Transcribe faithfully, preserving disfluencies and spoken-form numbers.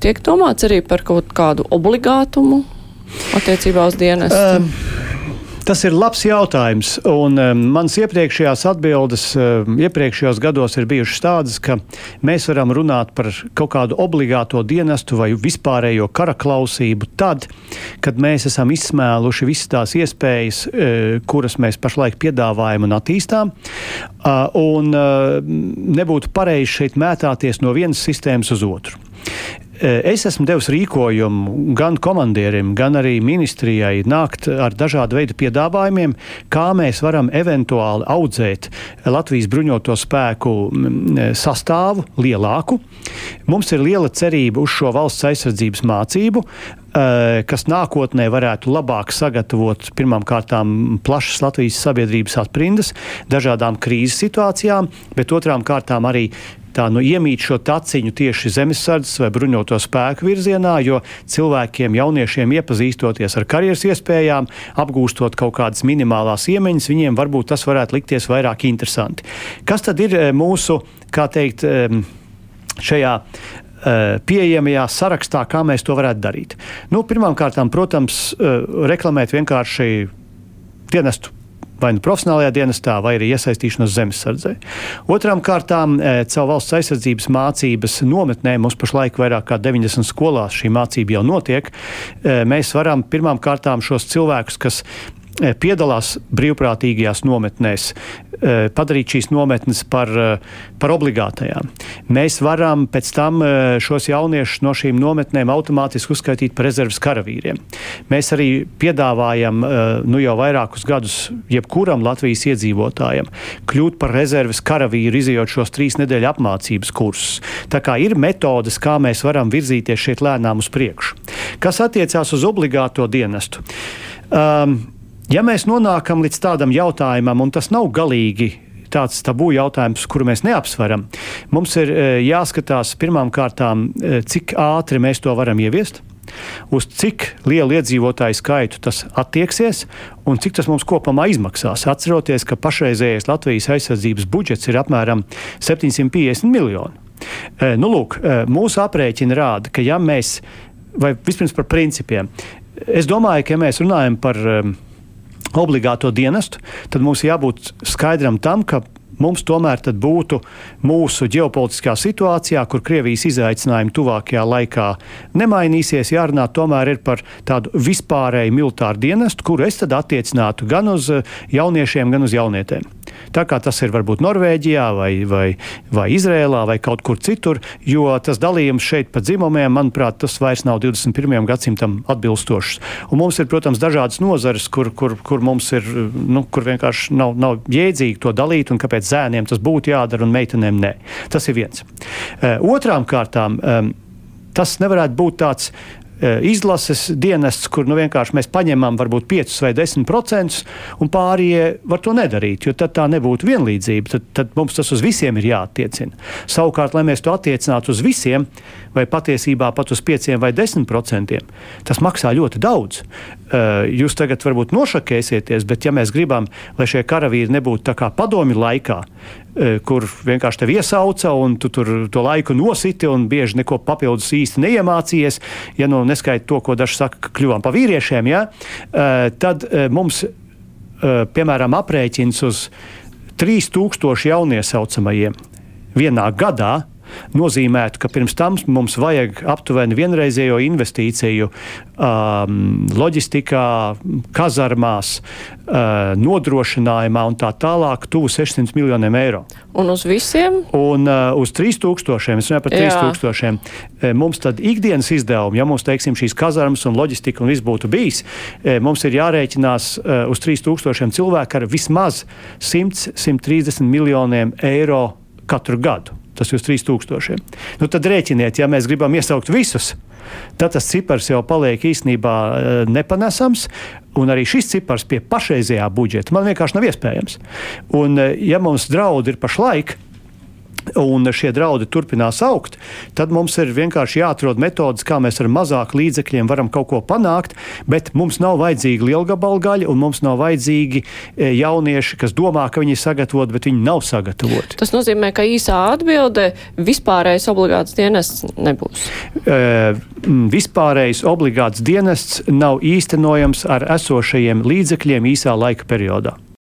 tiek domāts arī par kaut kādu obligātumu attiecībā uz dienestu? Um. Tas ir labs jautājums, un um, mans iepriekšējās atbildes um, iepriekšējos gados ir bijušas tādas, ka mēs varam runāt par kaut kādu obligāto dienestu vai vispārējo karaklausību tad, kad mēs esam izsmēluši visas tās iespējas, uh, kuras mēs pašlaik piedāvājam un attīstām, uh, un uh, nebūtu pareizi šeit mētāties no vienas sistēmas uz otru. Es esmu devis rīkojumu gan komandierim, gan arī ministrijai nākt ar dažādu veidu piedāvājumiem, kā mēs varam eventuāli audzēt Latvijas bruņoto spēku sastāvu lielāku. Mums ir liela cerība uz šo valsts aizsardzības mācību, kas nākotnē varētu labāk sagatavot pirmām kārtām plašas Latvijas sabiedrības atprindas dažādām krīzes situācijām, bet otrām kārtām arī tā nu iemīt šo taciņu tieši zemesardzes vai bruņoto spēku virzienā, jo cilvēkiem, jauniešiem iepazīstoties ar karjeras iespējām, apgūstot kaut kādas minimālās iemaņas, viņiem varbūt tas varētu likties vairāk interesanti. Kas tad ir mūsu, kā teikt, šajā pieejamajā sarakstā, kā mēs to varētu darīt? Nu, pirmām kārtām, protams, reklamēt vienkārši dienestu vai nu profesionālajā dienestā, vai arī iesaistīšanos zemesardzē. Otrām kārtām, caur valsts aizsardzības mācības nometnē, mums pašlaik vairāk kā deviņdesmit skolās šī mācība jau notiek, mēs varam pirmām kārtām šos cilvēkus, kas piedalās brīvprātīgajās nometnēs, padarīt šīs nometnes par, par obligātajām. Mēs varam pēc tam šos jauniešus no šīm nometnēm automātiski uzskaitīt par rezerves karavīriem. Mēs arī piedāvājam nu jau vairākus gadus jebkuram Latvijas iedzīvotājam kļūt par rezerves karavīru, izejot šos trīs nedēļu apmācības kursus. Tā kā ir metodes, kā mēs varam virzīties šeit lēnām uz priekšu. Kas attiecās uz obligāto dienestu? Um, Ja mēs nonākam līdz tādam jautājumam, un tas nav galīgi tāds tabū jautājums, kuru mēs neapsveram, mums ir jāskatās pirmām kārtām, cik ātri mēs to varam ieviest, uz cik lielu iedzīvotāju skaitu tas attieksies un cik tas mums kopumā izmaksās. Atceroties, ka pašreizējais Latvijas aizsardzības budžets ir apmēram septiņsimt piecdesmit miljoni. Nu, lūk, mūsu aprēķini rāda, ka ja mēs, vai vispirms par principiem, es domāju, ka ja mēs runājam par obligāto dienestu, tad mums jābūt skaidram tam, ka mums tomēr tad būtu mūsu ģeopolitiskā situācijā, kur Krievijas izaicinājumi tuvākajā laikā nemainīsies, jārunā tomēr ir par tādu vispārēju militāru dienestu, kuru es tad attiecinātu gan uz jauniešiem, gan uz jaunietēm. Tā kā tas ir varbūt Norvēģijā vai, vai, vai Izrēlā vai kaut kur citur, jo tas dalījums šeit pa dzimumiem, manuprāt, tas vairs nav divdesmit pirmajam gadsimtam atbilstošs. Un mums ir, protams, dažādas nozares, kur, kur, kur mums ir, nu, kur vienkārši nav, nav jēdzīgi to dalīt un kāpēc zēniem tas būtu jādara un meitenēm nē. Tas ir viens. Otrām kārtām, tas nevarētu būt tāds izlases dienests, kur nu vienkārši mēs paņemam varbūt piecus vai desmit procentus un pārējie var to nedarīt, jo tad tā nebūtu vienlīdzība. Tad, tad mums tas uz visiem ir jāattiecina. Savukārt, lai mēs to attiecinātu uz visiem, vai patiesībā pat uz pieciem vai desmit procentiem, tas maksā ļoti daudz. Jūs tagad varbūt nošakēsieties, bet ja mēs gribam, lai šie karavīri nebūtu tā kā padomju laikā, kur vienkārši tevi iesauca un tu tur to laiku nositi un bieži neko papildus īsti neiemācījies, ja nu neskaita to, ko daži saka, ka kļuvām pa vīriešiem, ja, tad mums, piemēram, aprēķins uz trīs tūkstoši jauniesaucamajiem vienā gadā nozīmētu, ka pirms tam mums vajag aptuveni vienreizējo investīciju um, loģistikā, kazarmās, uh, nodrošinājumā un tā tālāk tuvu sešsimt miljoniem eiro. Un uz visiem? Un uh, uz trīs tūkstošiem, es runāju par trīs tūkstošiem, mums tad ikdienas izdevumi, ja mums, teiksim, šīs kazarmas un loģistika un viss būtu bijis, mums ir jārēķinās uh, uz trīs tūkstošiem cilvēku ar vismaz simt līdz simt trīsdesmit miljoniem eiro katru gadu. Tas ir uz trīs tūkstošiem. Nu, tad rēķiniet, ja mēs gribam iesaukt visus, tad tas cipars jau paliek īstenībā nepanesams, un arī šis cipars pie pašreizējā budžeta man vienkārši nav iespējams. Un ja mums draudi ir pašlaik, un šie draudi turpinās augt, tad mums ir vienkārši jāatrod metodas, kā mēs ar mazāk līdzekļiem varam kaut ko panākt, bet mums nav vajadzīgi lielgabalgaļi un mums nav vajadzīgi jaunieši, kas domā, ka viņi ir sagatavoti, bet viņi nav sagatavoti. Tas nozīmē, ka īsā atbilde vispārējais obligāts dienests nebūs. E, vispārējais obligāts dienests nav īstenojams ar esošajiem līdzekļiem īsā laika periodā.